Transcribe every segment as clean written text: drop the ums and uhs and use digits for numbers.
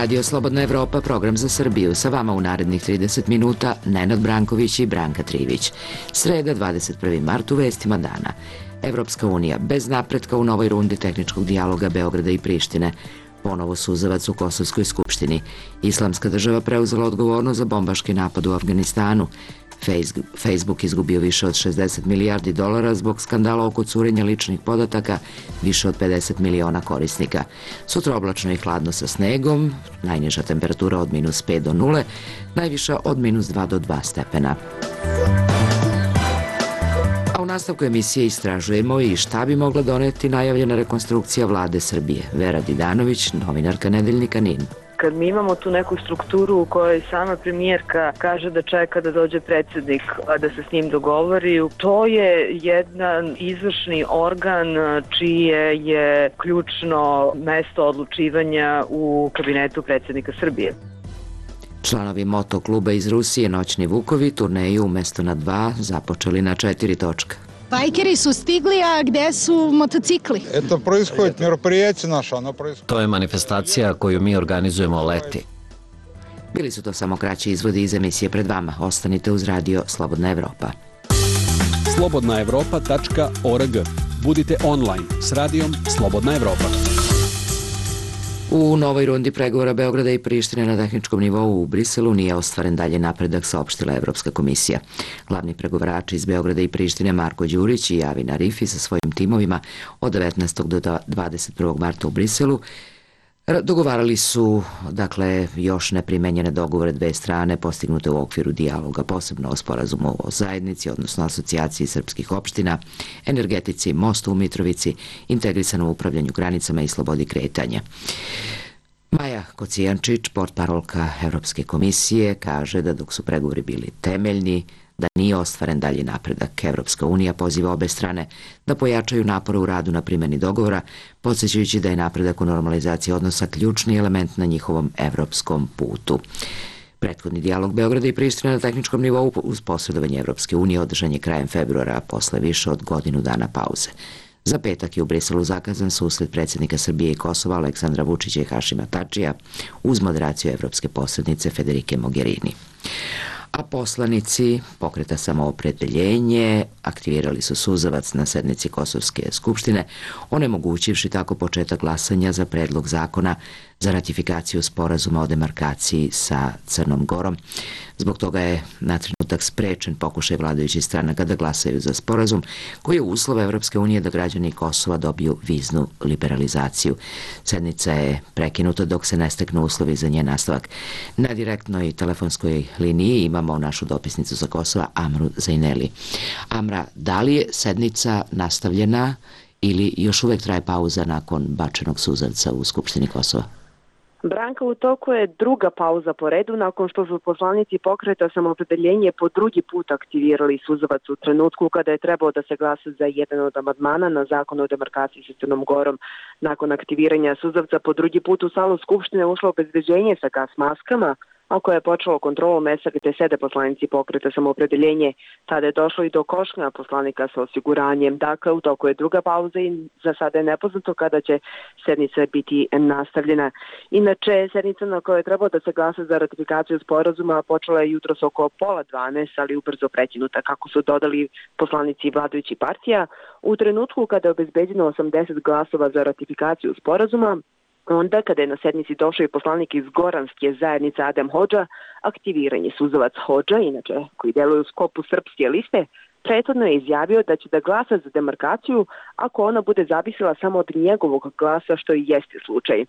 Radio Slobodna Evropa, program za Srbiju. Sa vama u narednih 30 minuta Nenad Branković i Branka Trivić. Sreda, 21. mart, u vestima dana. Evropska unija bez napretka u novoj rundi tehničkog dijaloga Beograda i Prištine. Ponovo suzavac u Kosovskoj skupštini. Islamska država preuzela odgovornost za bombaški napad u Afganistanu. Facebook izgubio više od 60 milijardi dolara zbog skandala oko curenja ličnih podataka više od 50 miliona korisnika. Sutra oblačno i hladno sa snegom, najniža temperatura od -5 do 0, najviša od -2 do 2 stepena. A u nastavku emisije istražujemo i šta bi mogla doneti najavljena rekonstrukcija vlade Srbije. Vera Didanović, novinarka Nedeljnika NIN. Kad mi imamo tu neku strukturu u kojoj sama premijerka kaže da čeka da dođe predsjednik, a da se s njim dogovori, to je jedan izvršni organ čije je ključno mesto odlučivanja u kabinetu predsjednika Srbije. Članovi motokluba iz Rusije Noćni Vukovi turneju umesto na 2 započeli na 4 točka. Bajkeri su stigli, a gde su motocikli? To je manifestacija koju mi organizujemo leti. Bili su to samo kraći izvodi iz emisije pred vama. Ostanite uz radio Slobodna Evropa. slobodnaevropa.org. Budite online s radijom Slobodna Evropa. U novoj rundi pregovora Beograda i Prištine na tehničkom nivou u Briselu nije ostvaren dalje napredak, saopštila Evropska komisija. Glavni pregovarači iz Beograda i Prištine Marko Đurić i Javin Arifi sa svojim timovima od 19. do 21. marta u Briselu dogovarali su, još neprimenjene dogovore dve strane postignute u okviru dijaloga, posebno o sporazumu o zajednici, odnosno asocijaciji srpskih opština, energetici, mostu u Mitrovici, integrisanom upravljanju granicama i slobodi kretanja. Maja Kocijančić, portparolka Evropske komisije, kaže da dok su pregovori bili temeljni, da nije ostvaren dalji napredak. Evropska unija poziva obe strane da pojačaju napore u radu na primjeni dogovora, podsjećajući da je napredak u normalizaciji odnosa ključni element na njihovom evropskom putu. Prethodni dijalog Beograda i Prištine na tehničkom nivou uz posredovanje Evropske unije održan je krajem februara, posle više od godinu dana pauze. Za petak je u Briselu zakazan susret predsjednika Srbije i Kosova Aleksandra Vučića i Hašima Tačija uz moderaciju evropske posrednice Federike Mogherini. A poslanici Pokreta Samoopredeljenje aktivirali su suzavac na sednici Kosovske skupštine, onemogućivši tako početak glasanja za predlog zakona za ratifikaciju sporazuma o demarkaciji sa Crnom Gorom. Zbog toga je na trenutak sprečen pokušaj vladajućih stranaka da glasaju za sporazum koji je uslov Evropske unije da građani Kosova dobiju viznu liberalizaciju. Sednica je prekinuta dok se ne steknu uslovi za njen nastavak. Na direktnoj telefonskoj liniji imamo našu dopisnicu sa Kosova, Amru Zajneli. Amra, da li je sednica nastavljena ili još uvek traje pauza nakon bačenog suzavca u Skupštini Kosova? Branka, u toku je druga pauza po redu nakon što su poslanici Pokreta Samoopredeljenje po drugi put aktivirali suzavac u trenutku kada je trebao da se glasa za jedan od amandmana na zakon o demarkaciji sa Crnom Gorom. Nakon aktiviranja suzavca po drugi put u salu Skupštine ušlo obezbeđenje sa gas maskama, a koje je počelo kontrolu mesta gde sede poslanici Pokreta Samoopredeljenje. Tada je došlo i do košnja poslanika sa osiguranjem. Dakle, u toku je druga pauza i za sada je nepoznato kada će sednica biti nastavljena. Inače, sednica na kojoj je trebalo da se glasa za ratifikaciju sporazuma počela je jutros oko 11:30, ali ubrzo prekinuta, kako su dodali poslanici vladajućih partija. U trenutku kada je obezbeđeno 80 glasova za ratifikaciju sporazuma, onda, kada je na sednici došao i poslanik iz Goranske zajednice Adem Hodža, aktiviranje suzavac Hodža, inače koji deluje u skopu Srpske liste, prethodno je izjavio da će da glasa za demarkaciju ako ona bude zavisila samo od njegovog glasa, što i jeste slučaj.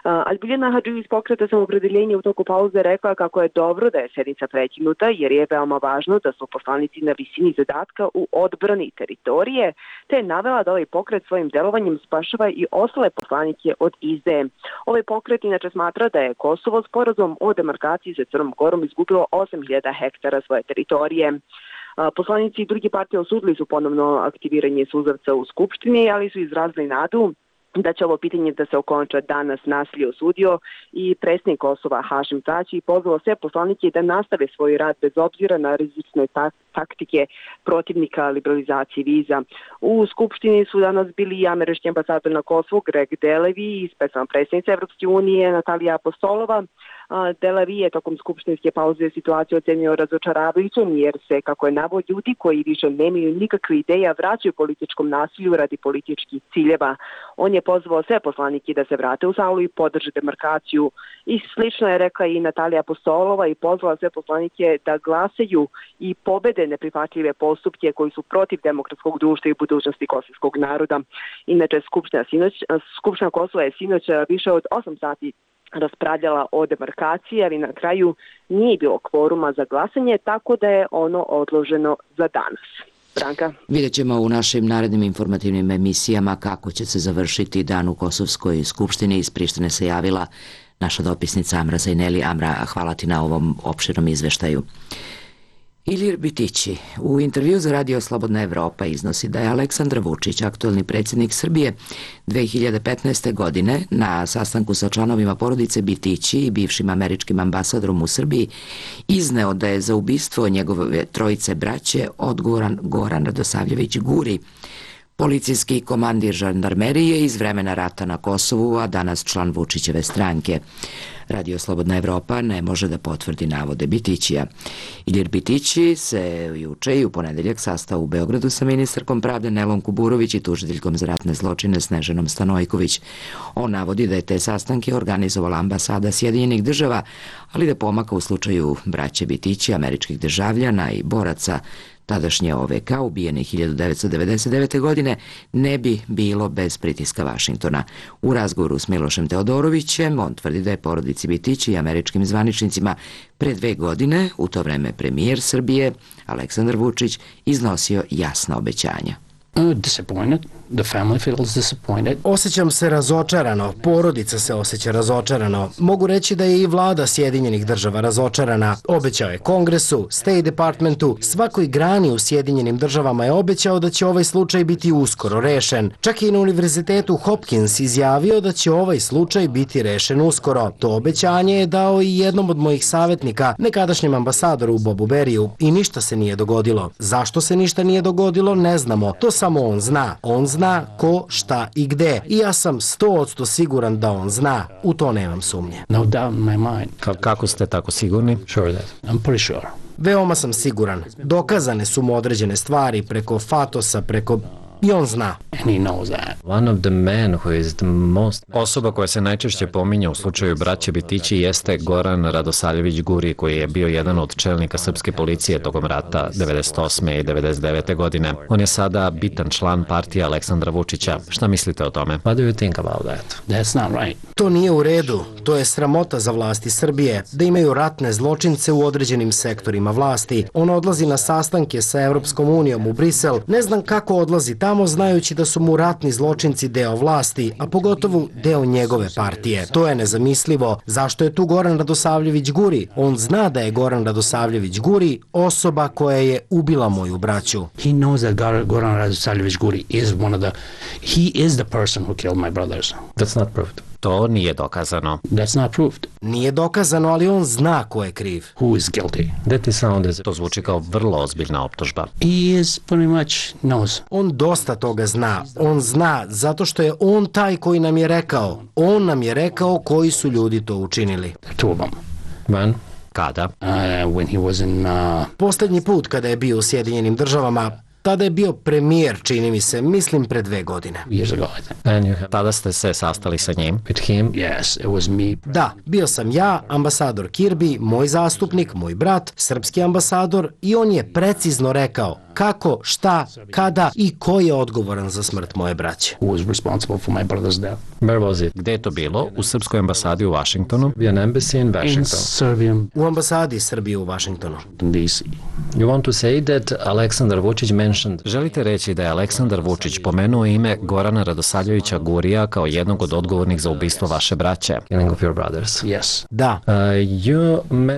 Albiljana Hadži iz Pokreta Samoopredeljenje u toku pauze rekla kako je dobro da je sednica prekinuta jer je veoma važno da su poslanici na visini zadatka u odbrani teritorije, te je navela da ovaj pokret svojim delovanjem spašava i ostale poslanike od izdaje. Ovaj pokret inače smatra da je Kosovo sporazum o demarkaciji sa Crnom Gorom izgubilo 8.000 hektara svoje teritorije. Poslanici i drugi partije osudili su ponovno aktiviranje suzavca u Skupštini, ali su izrazili nadu da će ovo pitanje da se okonča danas, nasilje osudio i predsjednik Kosova Hašim Tači pozvao sve poslanike da nastave svoj rad bez obzira na rizične taktike protivnika liberalizacije viza. U Skupštini su danas bili i američki ambasador na Kosovu Greg Delevi i specijalna predsjednica Evropske unije Natalija Apostolova. Delevi je tokom skupštinske pauze situaciju ocenio razočaravajućom jer se, kako je navod, ljudi koji više nemaju nikakve ideja vraćaju političkom nasilju radi političkih ciljeva. On je pozvao sve poslanike da se vrate u salu i podrže demarkaciju. I slično je rekla i Natalija Apostolova i pozvala sve poslanike da glasaju i pobede neprihvatljive postupke koji su protiv demokratskog društva i budućnosti kosovskog naroda. Inače, Skupština Kosova je sinoć više od 8 sati raspravljala o demarkaciji, ali na kraju nije bilo kvoruma za glasanje, tako da je ono odloženo za danas. Branka. Vidjet ćemo u našim narednim informativnim emisijama kako će se završiti dan u Kosovskoj skupštini. Iz Prištine se javila naša dopisnica Amra Zajneli. Amra, hvala ti na ovom opširnom izveštaju. Ilir Bitići u intervju za Radio Slobodna Evropa iznosi da je Aleksandar Vučić, aktuelni predsjednik Srbije, 2015. godine na sastanku sa članovima porodice Bitići i bivšim američkim ambasadorom u Srbiji izneo da je za ubistvo njegove trojice braće odgovoran Goran Radosavljević Guri, policijski komandir žandarmerije iz vremena rata na Kosovu, a danas član Vučićeve stranke. Radio Slobodna Evropa ne može da potvrdi navode Bitićija. Ilir Bitići se juče i u ponedeljak sastao u Beogradu sa ministarkom pravde Nelom Kuburović i tužiteljkom za ratne zločine Snežanom Stanojković. On navodi da je te sastanke organizovala ambasada Sjedinjenih država, ali da pomaka u slučaju braće Bitići, američkih državljana i boraca tadašnje OVK ubijenih 1999. godine ne bi bilo bez pritiska Vašingtona. U razgovoru s Milošem Teodorovićem on tvrdi da je porodici Bitići i američkim zvaničnicima pre 2 godine, u to vreme premijer Srbije Aleksandar Vučić, iznosio jasna obećanja. Disappointed. The family feels disappointed. Osjećam se razočarano, porodica se osjeća razočarano. Mogu reći da je i vlada Sjedinjenih država razočarana. Obećao je Kongresu, State Departmentu, svakoj grani u Sjedinjenim državama je obećao da će ovaj slučaj biti uskoro rešen. Čak i na univerzitetu Hopkins izjavio da će ovaj slučaj biti rešen uskoro. To obećanje je dao i jednom od mojih savjetnika, nekadašnjem ambasadoru Bobu Beriju, i ništa se nije dogodilo. Zašto se ništa nije dogodilo, ne znamo. To samo on zna. On zna ko, šta i gde. I ja sam 100% siguran da on zna. U to nemam sumnje. No doubt in my mind. Kako ste tako sigurni? Sure that. I'm pretty sure. Veoma sam siguran. Dokazane su mu određene stvari preko Fatosa, preko... I on zna. And he knows that. One of the men who is the most... Osoba koja se najčešće pominje u slučaju braće Bitići jeste Goran Radosavljević Guri, koji je bio jedan od čelnika srpske policije tokom rata 98. i 99. godine. On je sada bitan član partije Aleksandra Vučića. Šta mislite o tome? What do you think about that? That's not right. To nije u redu. To je sramota za vlasti Srbije, da imaju ratne zločince u određenim sektorima vlasti. On odlazi na sastanke sa Evropskom unijom u Brisel. Ne znam kako odlazi tamo znajući da su mu ratni zločinci deo vlasti, a pogotovo deo njegove partije. To je nezamislivo. Zašto je tu Goran Radosavljević Guri? On zna da je Goran Radosavljević Guri osoba koja je ubila moju braću. He knows that Goran Radosavljević Guri is he is the person who killed my brothers. That's not proved. To nije dokazano. That's not proved. Nije dokazano, ali on zna ko je kriv. Who is guilty? To zvuči kao vrlo ozbiljna optužba. He is pretty much knows. On dosta toga zna. On zna zato što je on taj koji nam je rekao. On nam je rekao koji su ljudi to učinili. Two of them. When? Kada? When he was in... Poslednji put kada je bio u Sjedinjenim državama, tada je bio premijer, čini mi se, mislim pre 2 godine. Years ago, I think. Tada ste se sastali sa njim? With him? Yes, it was me. Da, bio sam ja, ambasador Kirby, moj zastupnik, moj brat, srpski ambasador, i on je precizno rekao kako, šta, kada i ko je odgovoran za smrt moje braće. Who was responsible for my brother's death? Where was it? Gde je to bilo? U srpskoj ambasadi u Washingtonu? In Serbia. U ambasadi Srbije u Washingtonu. In DC. You want to say that Aleksandar Vučić mentioned... Želite reći da je Aleksandar Vučić pomenuo ime Gorana Radosavljevića Gurija kao jednog od odgovornih za ubistvo vaše braće? Killing of your brothers. Yes. Da.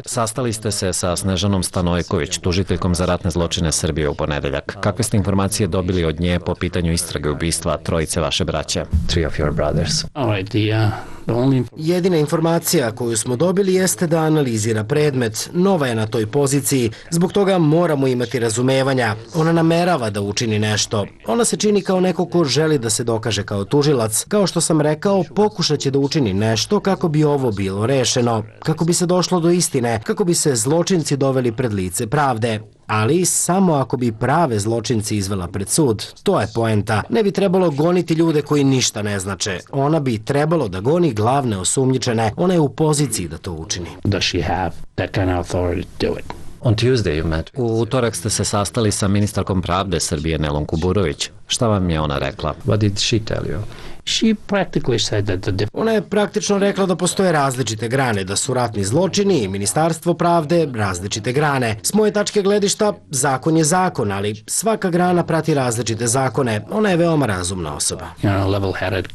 Sastali ste se sa Snežanom Stanojković, tužiteljkom za ratne zločine Srbije u ponedeljak. Kakve ste informacije dobili od nje po pitanju istrage ubistva trojice vaše braće? Three of your brothers. All right, the only... Jedina informacija koju smo dobili jeste da analizira predmet. Nova je na toj poziciji, zbog toga moramo imati razumevanja. Ona namerava da učini nešto. Ona se čini kao neko ko želi da se dokaže kao tužilac. Kao što sam rekao, pokušat će da učini nešto kako bi ovo bilo rešeno, kako bi se došlo do istine, kako bi se zločinci doveli pred lice pravde. Ali samo ako bi prave zločinci izvela pred sud. To je poenta. Ne bi trebalo goniti ljude koji ništa ne znače. Ona bi trebalo da goni glavne osumnjičene. Ona je u poziciji da to učini. Does she have that kind of authority to do it? On Tuesday you met. U utorak ste se sastali sa ministarkom pravde Srbije Nelom Kuburović. Šta vam je ona rekla? What did she tell you? She practically said that Ona je praktično rekla da postoje različite grane, da su ratni zločini i ministarstvo pravde različite grane. S moje tačke gledišta, zakon je zakon, ali svaka grana prati različite zakone. Ona je veoma razumna osoba. level-headed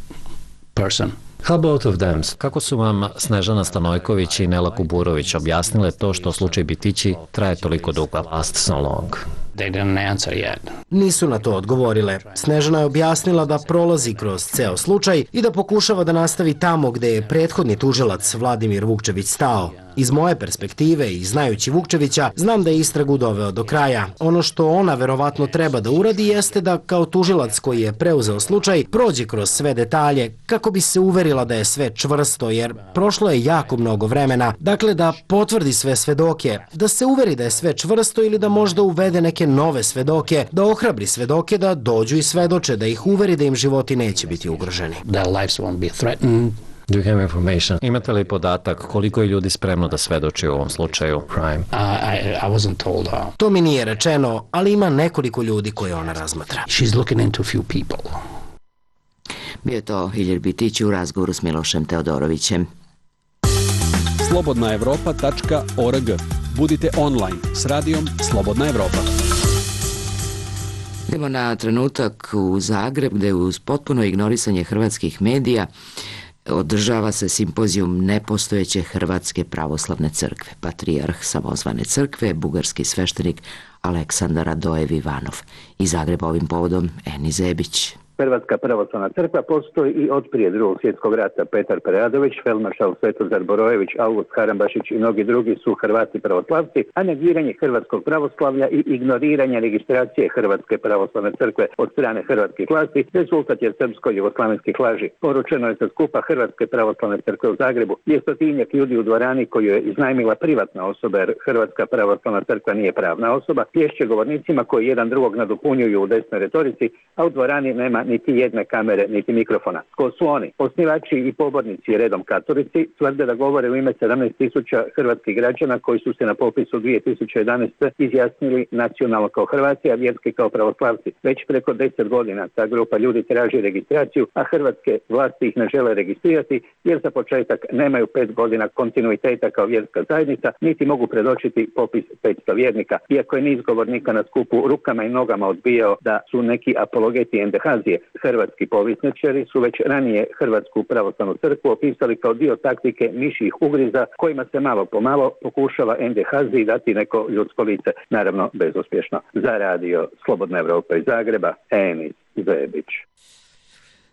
person. How both of them? Kako su vam Snežana Stanojković i Nela Kuburović objasnile to što slučaj Bitići traje toliko dugo? Last so long. They didn't answer yet. Nisu na to odgovorile. Snežana je objasnila da prolazi kroz ceo slučaj i da pokušava da nastavi tamo gde je prethodni tužilac Vladimir Vukčević stao. Iz moje perspektive i znajući Vukčevića, znam da je istragu doveo do kraja. Ono što ona verovatno treba da uradi jeste da kao tužilac koji je preuzeo slučaj prođe kroz sve detalje kako bi se uverila da je sve čvrsto, jer prošlo je jako mnogo vremena. Dakle, da potvrdi sve svedoke, da se uveri da je sve čvrsto ili da možda uvede neke nove svedoke, da ohrabri svedoke da dođu i svedoče, da ih uveri da im životi neće biti ugroženi. Their lives won't be threatened. Do you have information? Imate li podatak koliko je ljudi spremno da svedoči u ovom slučaju? Crime. I wasn't told her. To mi nije rečeno, ali ima nekoliko ljudi koje ona razmatra. She's looking into a few people. Bio je to Ilir Bitić u razgovoru s Milošem Teodorovićem. slobodnaevropa.org. Budite online s radijom Slobodna Evropa. Idemo na trenutak u Zagreb, gde uz potpuno ignorisanje hrvatskih medija održava se simpozijum nepostojeće Hrvatske pravoslavne crkve. Patrijarh samozvane crkve, bugarski sveštenik Aleksandar Radojev Ivanov. Iz Zagreba ovim povodom Eni Zebić. Hrvatska pravoslavna crkva postoji i od prije Drugog svjetskog rata. Petar Preradović, feldmaršal Svetozar Borojević, August Harambašić i mnogi drugi su Hrvati pravoslavci, a negiranje hrvatskog pravoslavlja i ignoriranje registracije Hrvatske pravoslavne crkve od strane hrvatskih vlasti rezultat je srpsko-jugoslavenskih laži. Poručeno je sa skupa Hrvatske pravoslavne crkve u Zagrebu, gdje stotinjak ljudi u dvorani koju je iznajmila privatna osoba, jer Hrvatska pravoslavna crkva nije pravna osoba, plješće govornicima koji jedan drugog nadopunjuju u desnoj retorici, a u dvorani nema niti jedne kamere, niti mikrofona. Ko su oni? Osnivači i pobornici redom katolici tvrde da govore u ime 17.000 hrvatskih građana koji su se na popisu 2011. izjasnili nacionalno kao Hrvati, a vjerski kao pravoslavci. Već preko 10 godina ta grupa ljudi traži registraciju, a hrvatske vlasti ih ne žele registrirati jer za početak nemaju 5 godina kontinuiteta kao vjerska zajednica, niti mogu predočiti popis 500 vjernika. Iako je niz govornika na skupu rukama i nogama odbijao da su neki apologeti NDH-zije, hrvatski povjesničari su već ranije Hrvatsku pravoslavnu crkvu opisali kao dio taktike mišjih ugriza kojima se malo po malo pokušava NDH-ziji dati neko ljudsko lice, naravno bezuspješno. Za radio Slobodna Evropa iz Zagreba, Enis Zebić.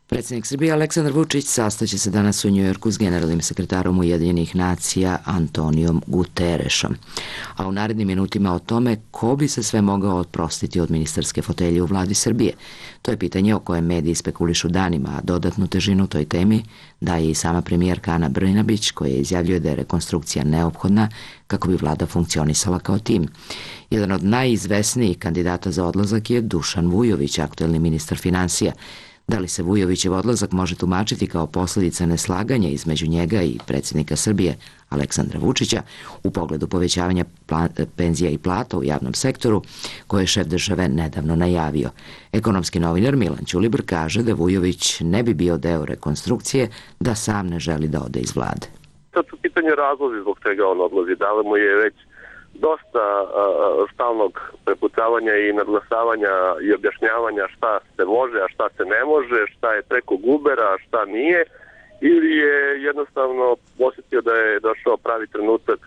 Predsjednik Srbije Aleksandar Vučić sastaće se danas u Njujorku s generalnim sekretarom Ujedinjenih nacija Antonijom Guterešom. A u narednim minutima o tome ko bi se sve mogao oprostiti od ministarske fotelje u vladi Srbije. To je pitanje o kojem mediji spekulišu danima, a dodatnu težinu toj temi daje i sama premijerka Ana Brnabić, koja izjavljuje da je rekonstrukcija neophodna kako bi vlada funkcionisala kao tim. Jedan od najizvesnijih kandidata za odlazak je Dušan Vujović, aktuelni ministar finansija. Da li se Vujovićev odlazak može tumačiti kao posljedica neslaganja između njega i predsjednika Srbije Aleksandra Vučića u pogledu povećavanja penzija i plata u javnom sektoru, koje je šef države nedavno najavio? Ekonomski novinar Milan Ćulibr kaže da Vujović ne bi bio deo rekonstrukcije da sam ne želi da ode iz vlade. Sad su pitanje razlozi zbog čega on odlazi. Da li mu je već dosta stalnog prepucavanja i nadglasavanja i objašnjavanja šta se može, a šta se ne može, šta je preko gubera, a šta nije, ili je jednostavno osjetio da je došao pravi trenutak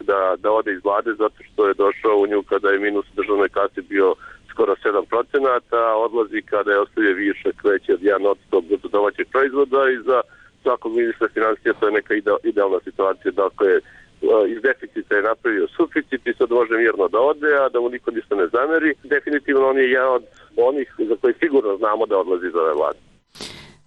da ode iz vlade zato što je došao u nju kada je minus u državnoj kasi bio skoro 7%, a odlazi kada je ostavio višak veći od 1% bruto domaćeg proizvoda i za svakog ministra financija to je neka idealna situacija. Dakle, iz deficita je napravio suficit i sad može mirno da ode, a da mu niko ništa ne zameri. Definitivno on je jedan od onih za koji sigurno znamo da odlazi iz ove vlade.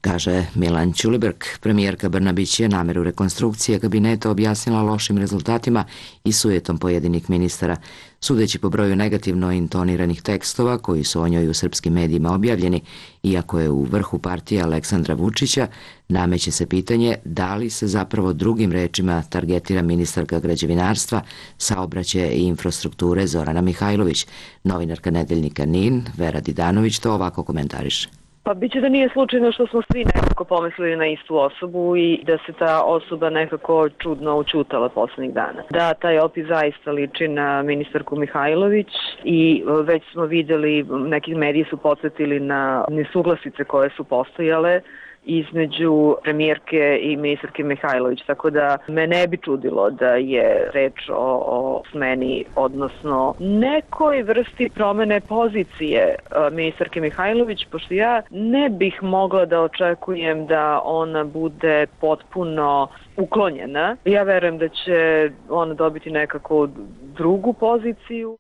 Kaže Milan Ćuliberg. Premijerka Brnabić je nameru rekonstrukcije kabineta objasnila lošim rezultatima i sujetom pojedinih ministara. Sudeći po broju negativno intoniranih tekstova koji su o njoj u srpskim medijima objavljeni, iako je u vrhu partije Aleksandra Vučića, nameće se pitanje da li se zapravo drugim rečima targetira ministarka građevinarstva, saobraćaja i infrastrukture Zorana Mihajlović. Novinarka nedeljnika NIN, Vera Didanović, to ovako komentariše. Pa biće da nije slučajno što smo svi nekako pomislili na istu osobu i da se ta osoba nekako čudno učutala poslednjih dana. Da, taj opis zaista liči na ministarku Mihajlović i već smo videli, neki mediji su podsjetili na nesuglasice koje su postojale između premijerke i ministarke Mihajlović, tako da me ne bi čudilo da je reč o smeni, odnosno nekoj vrsti promene pozicije ministarke Mihajlović, pošto ja ne bih mogla da očekujem da ona bude potpuno uklonjena. Ja verujem da će ona dobiti nekako drugu poziciju.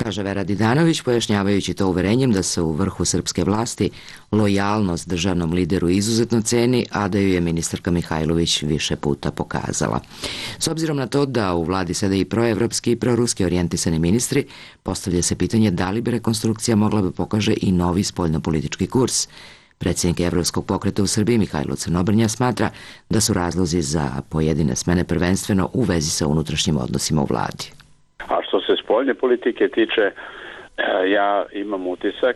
Kaže Vera Didanović, pojašnjavajući to uverenjem da se u vrhu srpske vlasti lojalnost državnom lideru izuzetno ceni, a da ju je ministarka Mihajlović više puta pokazala. S obzirom na to da u vladi sede i proevropski i proruski orijentisani ministri, postavlja se pitanje da li bi rekonstrukcija mogla da pokaže i novi spoljnopolitički kurs. Predsjednik Evropskog pokreta u Srbiji Mihajlo Crnobrnja smatra da su razlozi za pojedine smene prvenstveno u vezi sa unutrašnjim odnosima u vladi. A što se spoljne politike tiče, ja imam utisak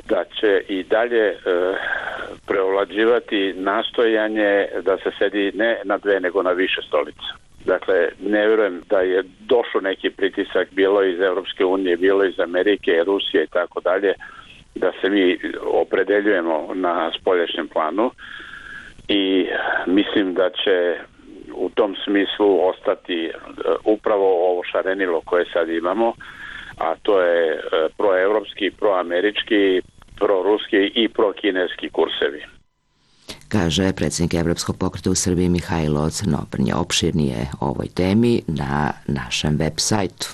da će i dalje preovlađivati nastojanje da se sedi ne na dve nego na više stolica. Dakle, ne vjerujem da je došao neki pritisak, bilo iz Europske unije, bilo iz Amerike, Rusije i tako dalje, da se mi opredeljujemo na spoljašnjem planu i mislim da će u tom smislu ostati upravo ovo šarenilo koje sad imamo, a to je proevropski, proamerički, proruski i prokineski kursevi. Kaže predsjednik Evropskog pokreta u Srbiji Mihajlo Crnobrnja. Opširnije o ovoj temi na našem web sajtu.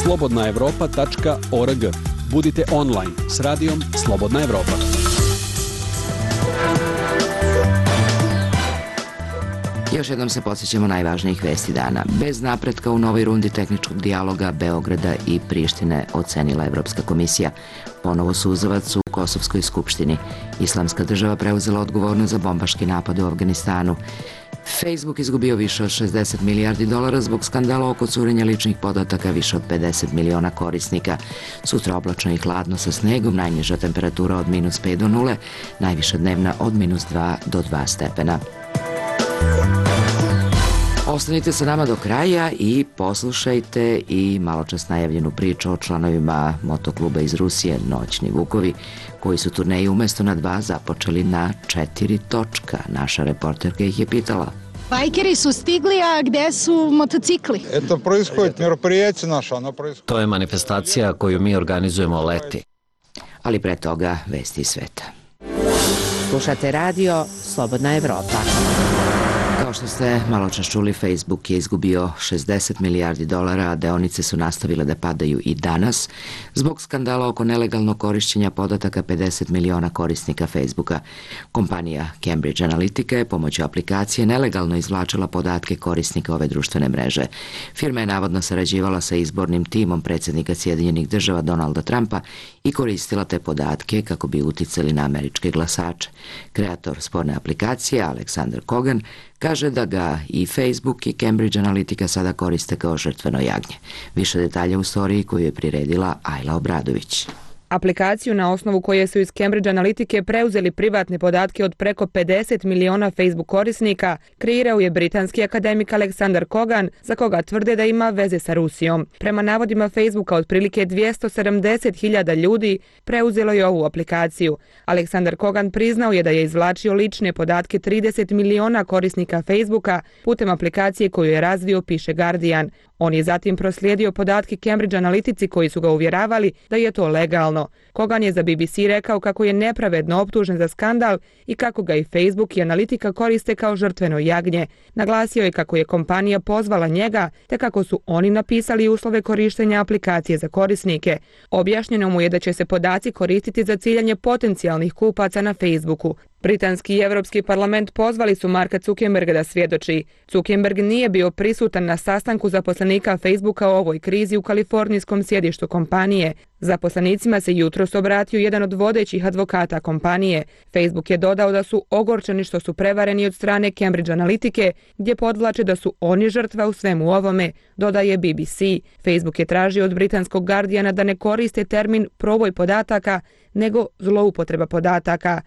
slobodnaevropa.org. Budite online s radijom Slobodna Evropa. Još jednom se podsjećamo najvažnijih vesti dana. Bez napretka u novoj rundi tehničkog dijaloga Beograda i Prištine ocenila Evropska komisija. Ponovo suzavac u Kosovskoj skupštini. Islamska država preuzela odgovornost za bombaški napad u Afganistanu. Facebook izgubio više od 60 milijardi dolara zbog skandala oko curenja ličnih podataka više od 50 miliona korisnika. Sutra oblačno i hladno sa snegom, najniža temperatura od -5 do 0, najviša dnevna od -2 do 2 stepena. Ostanite sa nama do kraja i poslušajte i maločas najavljenu priču o članovima motokluba iz Rusije Noćni Vukovi, koji su turneju umjesto na 2 započeli na 4 točka. Naša reporterka ih je pitala. Bajkeri su stigli, a gde su motocikli? To je manifestacija koju mi organizujemo leti. Ali pre toga vesti iz sveta. Slušate radio Slobodna Evropa. Kao što ste malo čas čuli, Facebook je izgubio 60 milijardi dolara, a deonice su nastavile da padaju i danas zbog skandala oko nelegalnog korišćenja podataka 50 miliona korisnika Facebooka. Kompanija Cambridge Analytica je pomoću aplikacije nelegalno izvlačila podatke korisnika ove društvene mreže. Firma je navodno sarađivala sa izbornim timom predsjednika Sjedinjenih država Donalda Trumpa i koristila te podatke kako bi uticali na američke glasače. Kreator sporne aplikacije, Aleksandar Kogan, kaže da ga i Facebook i Cambridge Analytica sada koriste kao žrtveno jagnje. Više detalja u storiji koju je priredila Ajla Obradović. Aplikaciju na osnovu koje su iz Cambridge Analytike preuzeli privatne podatke od preko 50 miliona Facebook korisnika kreirao je britanski akademik Aleksandar Kogan, za koga tvrde da ima veze sa Rusijom. Prema navodima Facebooka, otprilike 270.000 ljudi preuzelo je ovu aplikaciju. Aleksandar Kogan priznao je da je izvlačio lične podatke 30 miliona korisnika Facebooka putem aplikacije koju je razvio, piše Guardian. On je zatim proslijedio podatke Cambridge Analytici koji su ga uvjeravali da je to legalno. Kogan je za BBC rekao kako je nepravedno optužen za skandal i kako ga i Facebook i Analitika koriste kao žrtveno jagnje. Naglasio je kako je kompanija pozvala njega te kako su oni napisali uslove korištenja aplikacije za korisnike. Objašnjeno mu je da će se podaci koristiti za ciljanje potencijalnih kupaca na Facebooku. Britanski i Evropski parlament pozvali su Marka Zuckerberga da svjedoči. Zuckerberg nije bio prisutan na sastanku zaposlenika Facebooka o ovoj krizi u kalifornijskom sjedištu kompanije. Zaposlenicima se jutros obratio jedan od vodećih advokata kompanije. Facebook je dodao da su ogorčeni što su prevareni od strane Cambridge Analytike, gdje podvlače da su oni žrtva u svemu ovome, dodaje BBC. Facebook je tražio od britanskog Guardiana da ne koriste termin proboj podataka, nego zloupotreba podataka.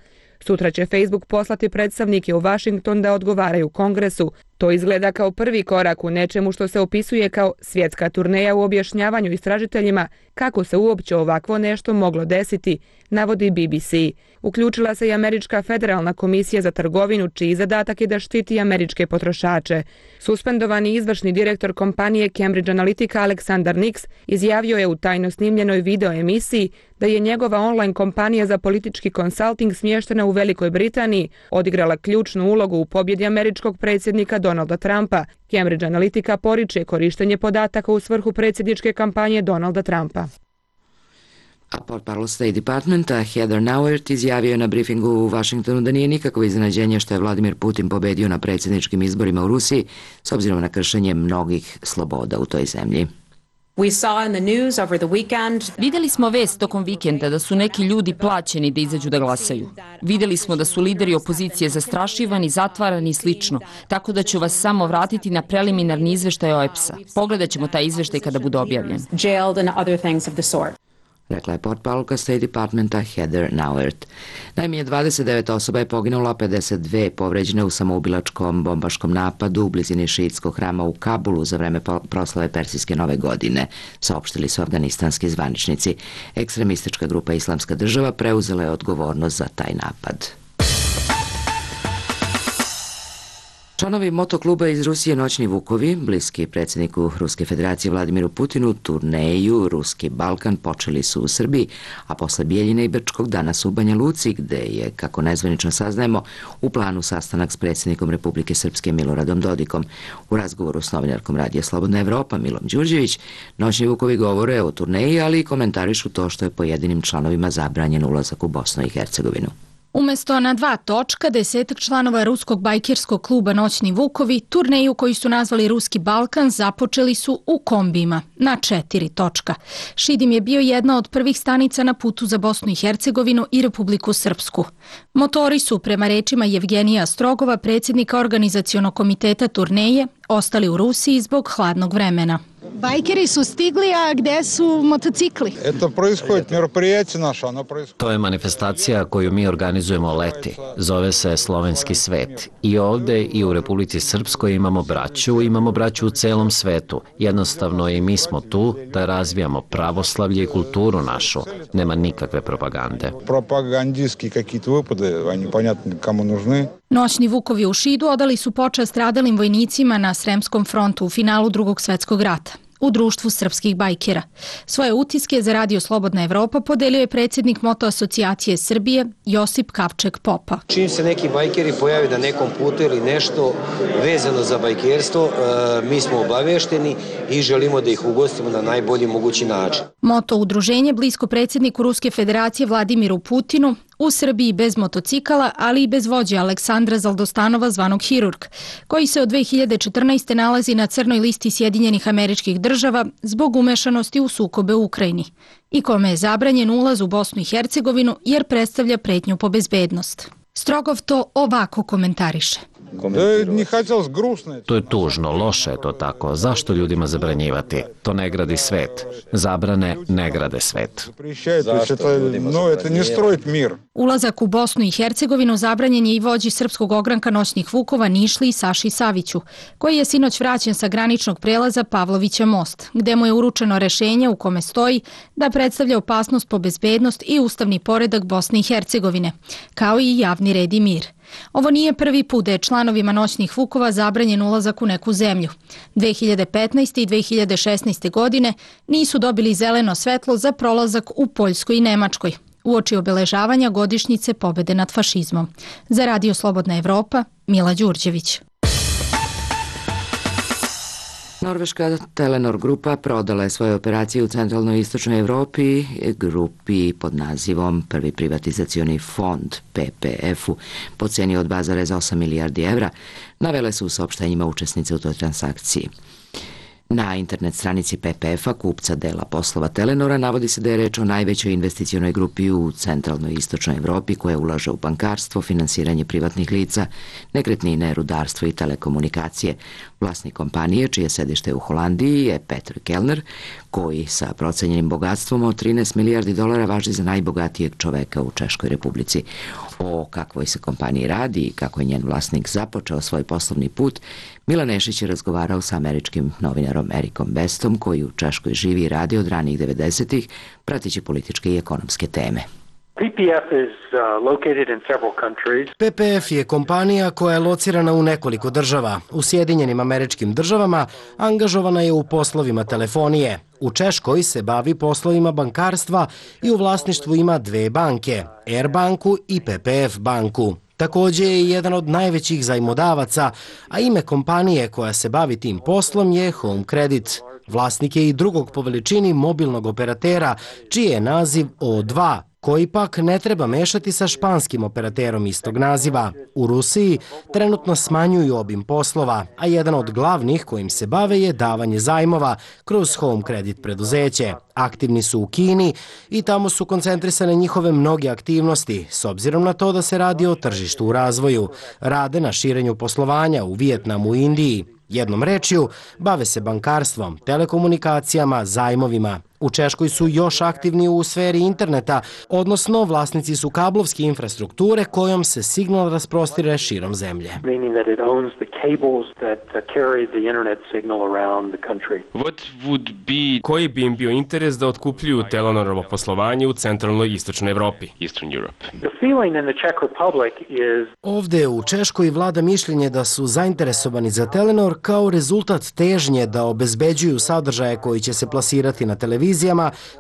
Sutra će Facebook poslati predstavnike u Washington da odgovaraju Kongresu. To izgleda kao prvi korak u nečemu što se opisuje kao svjetska turneja u objašnjavanju istražiteljima kako se uopće ovakvo nešto moglo desiti, navodi BBC. Uključila se i Američka federalna komisija za trgovinu, čiji zadatak je da štiti američke potrošače. Suspendovani izvršni direktor kompanije Cambridge Analytica Aleksandar Nix izjavio je u tajno snimljenoj video emisiji da je njegova online kompanija za politički konsulting smještena u Velikoj Britaniji odigrala ključnu ulogu u pobjedi američkog predsjednika Donalda Trumpa. Cambridge Analytica poriče korištenje podataka u svrhu predsjedničke kampanje Donalda Trumpa. A portparol State Departmenta Heather Nauert izjavio je na briefingu u Washingtonu da nije nikakvo iznenađenje što je Vladimir Putin pobedio na predsjedničkim izborima u Rusiji s obzirom na kršenje mnogih sloboda u toj zemlji. Vidjeli smo vest tokom vikenda da su neki ljudi plaćeni da izađu da glasaju. Vidjeli smo da su lideri opozicije zastrašivani, zatvarani i slično, tako da ću vas samo vratiti na preliminarni izveštaj OEPS-a. Pogledat ćemo taj izveštaj kada bude objavljen. Rekla je portparolka State Departmenta Heather Nauert. Najmanje 29 osoba je poginulo, a 52 povređene u samoubilačkom bombaškom napadu u blizini šiitskog hrama u Kabulu za vreme proslave Persijske nove godine, saopštili su afganistanski zvaničnici. Ekstremistička grupa Islamska država preuzela je odgovornost za taj napad. Članovi motokluba iz Rusije Noćni Vukovi, bliski predsjedniku Ruske federacije Vladimiru Putinu, turneju Ruski Balkan počeli su u Srbiji, a posle Bijeljine i Brčkog danas u Banja Luci, gde je, kako nezvanično saznajemo, u planu sastanak s predsjednikom Republike Srpske Miloradom Dodikom. U razgovoru s novinarkom Radija Slobodna Evropa Milom Đurđević, Noćni Vukovi govore o turneji, ali i komentarišu to što je pojedinim članovima zabranjen ulazak u Bosnu i Hercegovinu. Umesto na 2 točka, 10 članova ruskog bajkerskog kluba Noćni Vukovi turneju koju su nazvali Ruski Balkan započeli su u kombijima na 4 točka. Šidim je bio jedna od prvih stanica na putu za Bosnu i Hercegovinu i Republiku Srpsku. Motori su, prema rečima Jevgenija Strogova, predsjednika organizacionog komiteta turneje, ostali u Rusiji zbog hladnog vremena. Bajkeri su stigli, a gde su motocikli? To je manifestacija koju mi organizujemo leti. Zove se Slovenski svet. I ovde i u Republici Srpskoj imamo braću u celom svetu. Jednostavno i mi smo tu da razvijamo pravoslavlje i kulturu našu. Nema nikakve propagande. Propagandijski kakvi-to vypade, oni понятно kamo nužni. Noćni Vukovi u Šidu odali su počast stradalim vojnicima na Sremskom frontu u finalu Drugog svjetskog rata u društvu srpskih bajkera. Svoje utiske za Radio Slobodna Evropa podelio je predsjednik Moto asocijacije Srbije Josip Kavček Popa. Čim se neki bajkeri pojave na nekom putu ili nešto vezano za bajkerstvo, mi smo obavešteni i želimo da ih ugostimo na najbolji mogući način. Moto udruženje blisko predsjedniku Ruske federacije Vladimiru Putinu u Srbiji bez motocikala, ali i bez vođe Aleksandra Zaldostanova zvanog Hirurg, koji se od 2014. nalazi na crnoj listi Sjedinjenih Američkih Država zbog umešanosti u sukobe u Ukrajini i kome je zabranjen ulaz u Bosnu i Hercegovinu jer predstavlja pretnju po bezbednost. Strogov to ovako komentariše. To je tužno, loše je to tako. Zašto ljudima zabranjivati? To ne gradi svet. Zabrane ne grade svet. Ulazak u Bosnu i Hercegovinu zabranjen je i vođi srpskog ogranka noćnih vukova Nišli i Saši Saviću, koji je sinoć vraćen sa graničnog prelaza Pavlovića most, gde mu je uručeno rešenje u kome stoji da predstavlja opasnost po bezbednost i ustavni poredak Bosne i Hercegovine, kao i javni red i mir. Ovo nije prvi put da je članovima noćnih vukova zabranjen ulazak u neku zemlju. 2015. i 2016. godine nisu dobili zeleno svetlo za prolazak u Poljskoj i Nemačkoj, uoči obeležavanja godišnjice pobede nad fašizmom. Za Radio Slobodna Evropa, Mila Đurđević. Norveška Telenor grupa prodala je svoje operacije u centralnoj i istočnoj Evropi grupi pod nazivom Prvi privatizacioni fond PPF-u po ceni od 2,8 milijardi evra, navele su u saopštenjima učesnice u toj transakciji. Na internet stranici PPF-a, kupca dela poslova Telenora, navodi se da je reč o najvećoj investicionoj grupi u centralnoj i istočnoj Evropi koja ulaže u bankarstvo, finansiranje privatnih lica, nekretnine, rudarstvo i telekomunikacije. Vlasnik kompanije, čije sedište u Holandiji, je Peter Kellner, koji sa procenjenim bogatstvom od 13 milijardi dolara važi za najbogatijeg čoveka u Češkoj Republici. O kakvoj se kompaniji radi i kako je njen vlasnik započeo svoj poslovni put, Milan Nešić je razgovarao sa američkim novinarom Erikom Bestom, koji u Češkoj živi i radi od ranih 90-ih, pratići političke i ekonomske teme. PPF je kompanija koja je locirana u nekoliko država. U Sjedinjenim Američkim Državama angažovana je u poslovima telefonije. U Češkoj se bavi poslovima bankarstva i u vlasništvu ima dve banke, Air banku i PPF banku. Također je jedan od najvećih zajmodavaca, a ime kompanije koja se bavi tim poslom je Home Credit. Vlasnik je i drugog po veličini mobilnog operatera, čiji je naziv O2, koji pak ne treba mešati sa španskim operaterom istog naziva. U Rusiji trenutno smanjuju obim poslova, a jedan od glavnih kojim se bave je davanje zajmova kroz Home Credit preduzeće. Aktivni su u Kini i tamo su koncentrisane njihove mnoge aktivnosti, s obzirom na to da se radi o tržištu u razvoju. Rade na širenju poslovanja u Vijetnamu i Indiji. Jednom rečju, bave se bankarstvom, telekomunikacijama, zajmovima. U Češkoj su još aktivni u sferi interneta, odnosno vlasnici su kablovske infrastrukture kojom se signal rasprostire širom zemlje. Koji bi im bio interes da otkupljuju Telenorovo poslovanje u centralnoj i istočnoj Evropi? Ovde u Češkoj vlada mišljenje da su zainteresovani za Telenor kao rezultat težnje da obezbeđuju sadržaje koji će se plasirati na televizijama,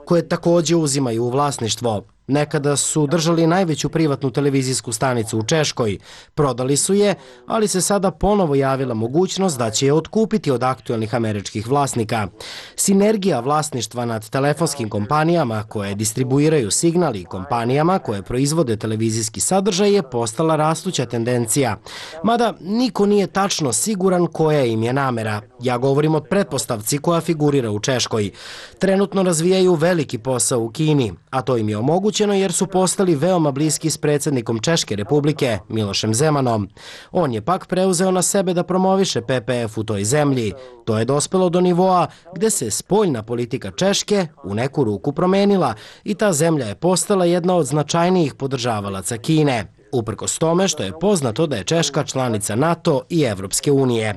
koje također uzimaju u vlasništvo. Nekada su držali najveću privatnu televizijsku stanicu u Češkoj. Prodali su je, ali se sada ponovo javila mogućnost da će je otkupiti od aktuelnih američkih vlasnika. Sinergija vlasništva nad telefonskim kompanijama koje distribuiraju signal i kompanijama koje proizvode televizijski sadržaj je postala rastuća tendencija. Mada niko nije tačno siguran koja im je namera. Ja govorim o pretpostavci koja figurira u Češkoj. Trenutno razvijaju veliki posao u Kini, a to im je omogućeno jer su postali veoma bliski s predsjednikom Češke Republike, Milošem Zemanom. On je pak preuzeo na sebe da promoviše PPF u toj zemlji. To je dospelo do nivoa gde se spoljna politika Češke u neku ruku promenila i ta zemlja je postala jedna od značajnijih podržavalaca Kine. Uprkos tome što je poznato da je Češka članica NATO i Evropske unije.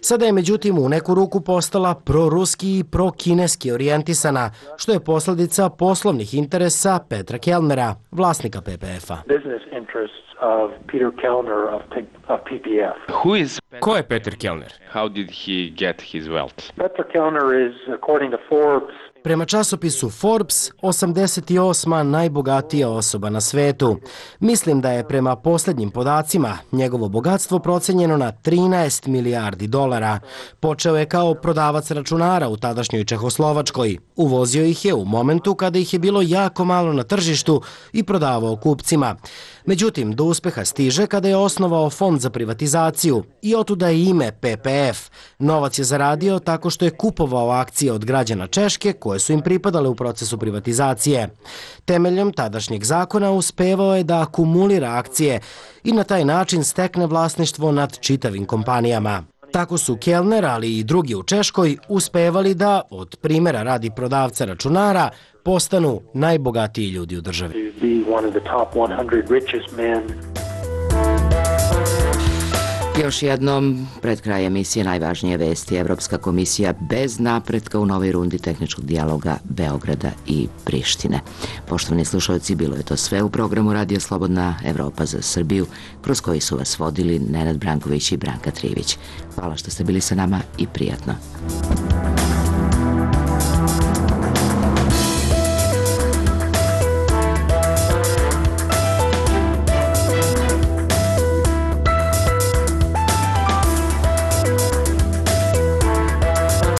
Sada je međutim u neku ruku postala proruski i prokineski orijentisana, što je posljedica poslovnih interesa Petra Kellnera, vlasnika PPF-a. Ko je Peter Kellner? Peter Kellner is, according to Forbes, Prema časopisu Forbes, 88. najbogatija osoba na svetu. Mislim da je prema posljednjim podacima njegovo bogatstvo procenjeno na 13 milijardi dolara. Počeo je kao prodavac računara u tadašnjoj Čehoslovačkoj. Uvozio ih je u momentu kada ih je bilo jako malo na tržištu i prodavao kupcima. Međutim, do uspeha stiže kada je osnovao fond za privatizaciju i otuda je ime PPF. Novac je zaradio tako što je kupovao akcije od građana Češke koje koje su im pripadale u procesu privatizacije. Temeljem tadašnjeg zakona uspevao je da akumulira akcije i na taj način stekne vlasništvo nad čitavim kompanijama. Tako su Kellner, ali i drugi u Češkoj, uspevali da, od primjera radi prodavca računara, postanu najbogatiji ljudi u državi. Još jednom, pred kraj emisije najvažnije vesti. Evropska komisija bez napretka u novoj rundi tehničkog dijaloga Beograda i Prištine. Poštovani slušalci, bilo je to sve u programu Radio Slobodna Evropa za Srbiju, kroz koji su vas vodili Nenad Branković i Branka Trivić. Hvala što ste bili sa nama i prijatno.